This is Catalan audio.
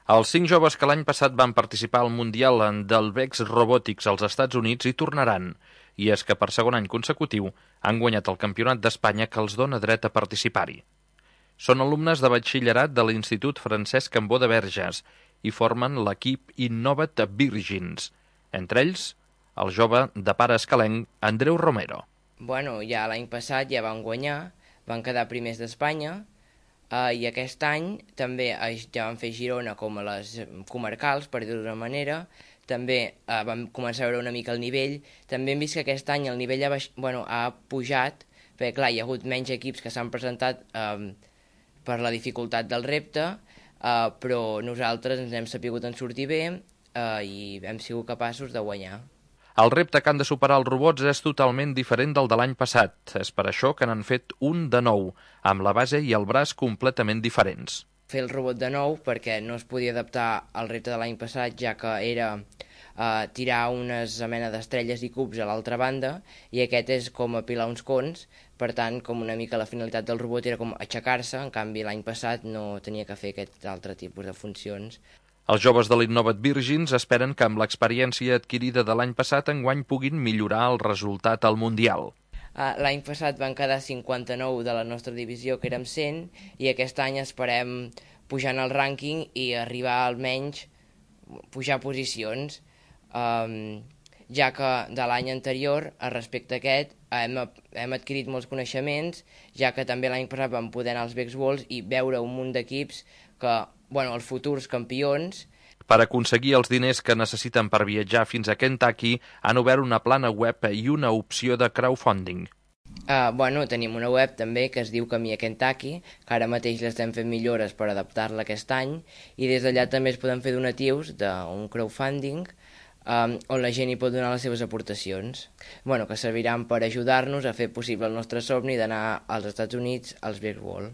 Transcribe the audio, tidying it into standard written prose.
Els 5 joves que l'any passat van participar al Mundial del Vex Robotics als Estats Units hi tornaran, i és que per segon any consecutiu han guanyat el Campionat d'Espanya que els dona dret a participar-hi. Són alumnes de batxillerat de l'Institut Francesc Cambó de Verges i formen l'equip Innovat Virgins, entre ells el jove de pare escalenc Andreu Romero. Bueno, ja l'any passat ja van guanyar, van quedar primers d'Espanya, i aquest any també ja van fer Girona com a les comarcals, per dir-ho d'una manera. També vam començar a veure una mica el nivell. També hem vist que aquest any el nivell ha pujat, perquè clar, hi ha hagut menys equips que s'han presentat per la dificultat del repte, però nosaltres ens hem sapigut en sortir bé i hem sigut capaços de guanyar. El repte que han de superar els robots és totalment diferent del de l'any passat. És per això que n'han fet un de nou, amb la base i el braç completament diferents. Fer el robot de nou perquè no es podia adaptar al repte de l'any passat, ja que era tirar unes mena d'estrelles i cubs a l'altra banda, i aquest és com apilar uns cons. Per tant, com una mica la finalitat del robot era com aixecar-se, en canvi l'any passat no tenia que fer aquest altre tipus de funcions. Els joves de l'Innovat Virgins esperen que amb l'experiència adquirida de l'any passat enguany puguin millorar el resultat al Mundial. L'any passat van quedar 59 de la nostra divisió, que érem 100, i aquest any esperem pujar en el rànquing i arribar almenys pujar posicions, ja que de l'any anterior, respecte a aquest, hem adquirit molts coneixements, ja que també l'any passat vam poder anar als Vex Worlds i veure un munt d'equips que, els futurs campions. Per aconseguir els diners que necessiten per viatjar fins a Kentucky, han obert una plana web i una opció de crowdfunding. Tenim una web també que es diu Camí a Kentucky, que ara mateix l'estem fent millores per adaptar-la aquest any, i des d'allà també es poden fer donatius d'un crowdfunding on la gent hi pot donar les seves aportacions, que serviran per ajudar-nos a fer possible el nostre somni d'anar als Estats Units als Vex Worlds.